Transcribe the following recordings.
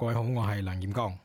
各位好，我係梁彥剛。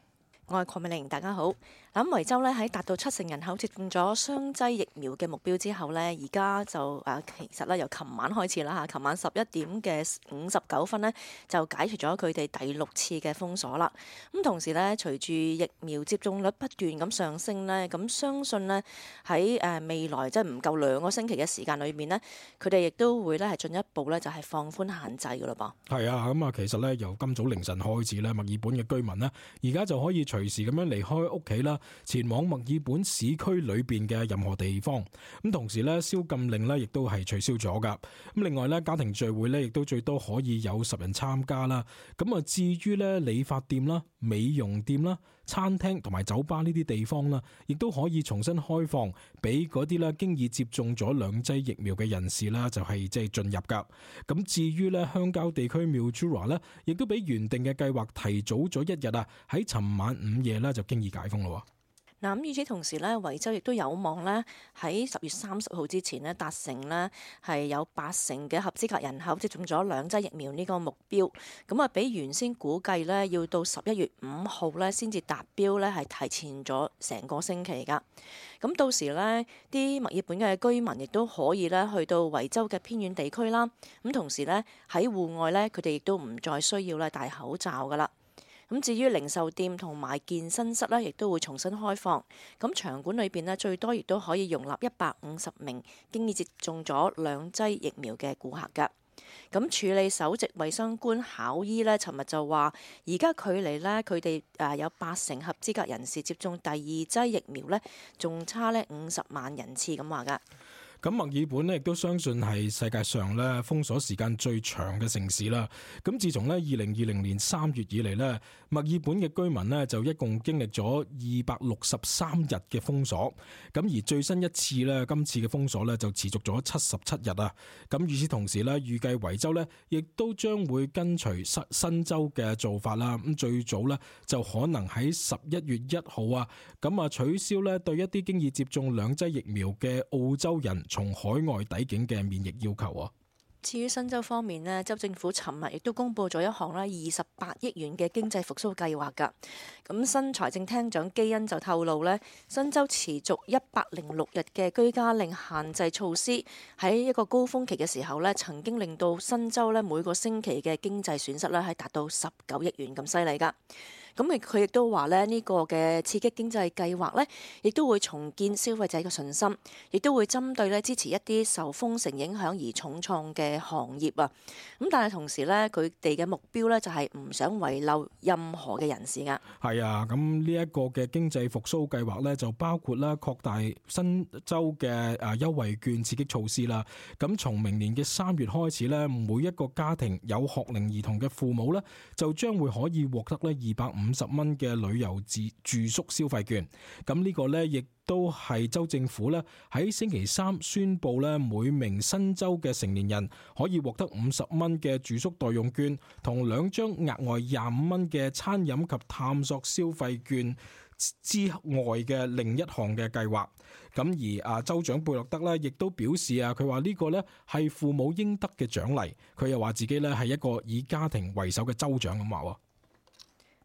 我係鄺美玲，大家好。咁維州咧喺達到70%人口接種咗雙劑疫苗嘅目標之後呢，而家就其實咧由琴晚開始啦嚇，琴晚11點嘅59分呢，就解除咗佢哋第6次嘅封鎖啦。咁同時呢，隨住疫苗接種率不斷咁上升呢，咁相信呢喺未來即係唔夠2個星期嘅時間裏面呢，佢哋亦都會咧係進一步咧就係放寬限制噶啦噃。係啊，咁啊，其實呢，由今早凌晨開始呢，墨爾本嘅居民呢，而家就可以隨時咁樣離開屋企啦，前往墨爾本市區裏邊嘅任何地方。咁同時呢，宵禁令呢亦都係取消咗噶。咁另外呢，家庭聚會呢亦都最多可以有10人參加啦。咁啊，至於呢，理髮店啦、美容店啦、餐廳同埋酒吧呢啲地方啦，亦都可以重新開放俾嗰啲呢經已接種咗2劑疫苗嘅人士啦，就係即係進入噶。咁至於呢，鄉郊地區 Mildura 呢，亦都比原定嘅計劃提早咗1日啊，喺尋晚午夜呢就經已解封咯。嗱，咁與此同時呢，維州亦都有望呢喺10月30號之前呢達成呢係有80%嘅合資格人口接種咗2劑疫苗呢個目標。咁啊，比原先估計呢要到11月5號呢先至達標呢，係提前咗成個星期噶。咁到時呢啲墨爾本嘅居民亦都可以呢去到維州嘅偏遠地區啦。咁同時呢喺戶外呢，佢哋亦都唔再需要呢戴口罩噶啦。咁至於零售店同埋健身室呢，亦都會重新開放。咁場館裏邊呢，最多亦都可以容納150名經已接種咗2劑疫苗嘅顧客㗎。咁處理首席衛生官考伊呢，尋日就話，而家距離呢，佢哋有80%合資格人士接種第2劑疫苗呢，仲差呢50萬人次咁話㗎。咁墨爾本呢亦都相信係世界上咧封鎖時間最長嘅城市啦。咁自從咧2020年3月以嚟呢，墨爾本嘅居民呢就一共經歷咗263日嘅封鎖。咁而最新一次呢，今次嘅封鎖呢就持續咗77日啊。咁與此同時呢，預計維州呢亦都將會跟隨新州嘅做法啦。咁最早呢就可能喺11月1號啊，咁啊取消呢對一啲經已接種2劑疫苗嘅澳洲人從海外抵境嘅免疫要求啊。至於新州方面呢，州政府尋日亦都公布咗一項28億元嘅經濟復甦計劃㗎。咁新財政廳長基恩就透露呢，新州持續106日嘅居家令限制措施喺一個高峰期嘅時候呢，曾經令到新州呢每個星期嘅經濟損失呢係達到19億元咁犀利㗎。咁佢亦都話呢個嘅刺激經濟計劃呢，亦都會重建消費者嘅信心，亦都會針對呢支持一啲受封城影響而重創嘅行業啊。咁但係同時呢，佢哋嘅目標呢，就係唔想遺漏任何嘅人士㗎。係啊，咁呢一個嘅經濟復甦計劃呢，就包括啦擴大新州嘅優惠券刺激措施啦。咁從明年嘅3月開始呢，每一個家庭有學齡兒童嘅父母呢，就將會可以獲得呢250蚊嘅旅遊住宿消費券。咁呢個呢，亦都係州政府呢喺星期3宣布呢，每名新州嘅成年人可以獲得50蚊嘅住宿代用券，同2張額外25蚊嘅餐飲及探索消費券之外嘅另一項嘅計劃。咁而州長貝洛德呢，亦都表示佢話呢個呢係父母應得嘅獎勵。佢又話自己呢係一個以家庭為首嘅州長咁話。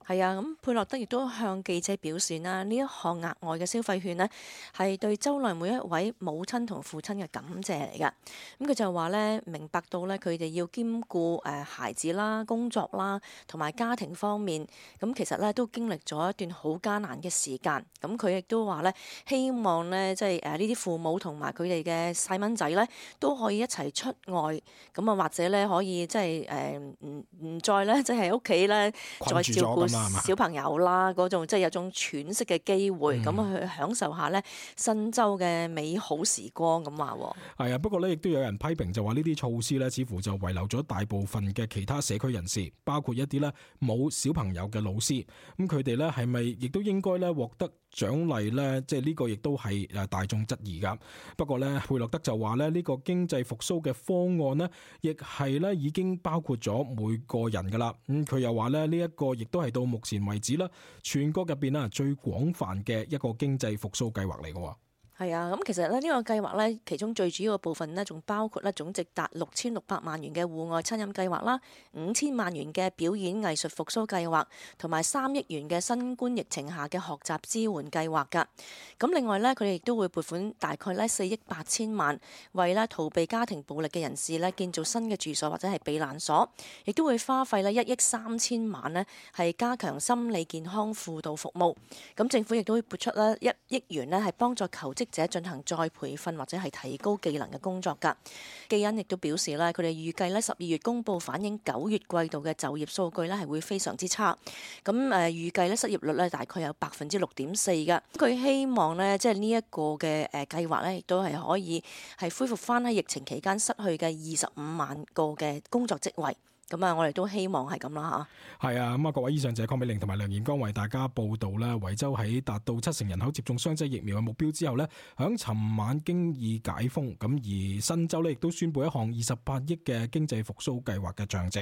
係啊，咁佩洛德亦都向記者表示啦，呢一項額外嘅消費券呢，係對州內每一位母親同父親嘅感謝嚟㗎。咁佢就話呢，明白到呢，佢哋要兼顧孩子啦、工作啦同埋家庭方面，咁其實呢都經歷咗一段好艱難嘅時間。咁佢亦都話呢，希望呢，即係呢啲父母同埋佢哋嘅細蚊仔呢，都可以一齊出外，咁啊或者呢，可以即係唔再呢，即係屋企呢，再照顧小朋友啦，嗰種即係有種喘息嘅機會，咁去享受下呢新州嘅美好時光咁話。係啊，不過呢，亦都有人批評就話呢啲措施呢，似乎就遺留咗大部分嘅其他社區人士，包括一啲呢冇小朋友嘅老師。咁佢哋呢係咪亦都應該呢獲得獎勵呢？即係呢個亦都係大眾質疑噶。不過呢，佩洛德就話呢，呢個經濟復甦嘅方案呢，亦係呢已經包括咗每個人噶啦。佢又話呢，呢一個亦都係到目前為止啦，全國入邊最廣泛嘅一個經濟復甦計劃嚟嘅。係啊，咁其實呢個計劃呢，其中最主要嘅部分呢，仲包括呢總值達6600萬元嘅戶外餐飲計劃啦，5000萬元嘅表演藝術復甦計劃，同埋3億元嘅新冠疫情下嘅學習支援計劃㗎。咁另外呢，佢哋亦都會撥款大概呢4億8千萬，為呢逃避家庭暴力嘅人士呢建造新嘅住所或者係避難所，亦都會花費呢1億3千萬呢，係加強心理健康輔導服務。咁政府亦都會撥出呢1億元呢，係幫助求職者進行再培訓或者係提高技能嘅工作㗎。基恩亦都表示咧，佢哋預計咧12月公佈反映9月季度嘅就業數據咧係會非常之差。咁預計咧失業率咧大概有6.4%㗎。佢希望咧即係呢一個嘅計劃咧，亦都係可以係恢復翻喺疫情期間失去嘅25萬個嘅工作職位。咁啊，我哋都希望係咁啦嚇。係啊，咁啊，各位以上就係鄺美玲同埋梁彥剛為大家報道啦。維州喺達到70%人口接種雙劑疫苗嘅目標之後呢，響尋晚經已解封。咁而新州呢亦都宣布一項28億嘅經濟復甦計劃嘅詳情。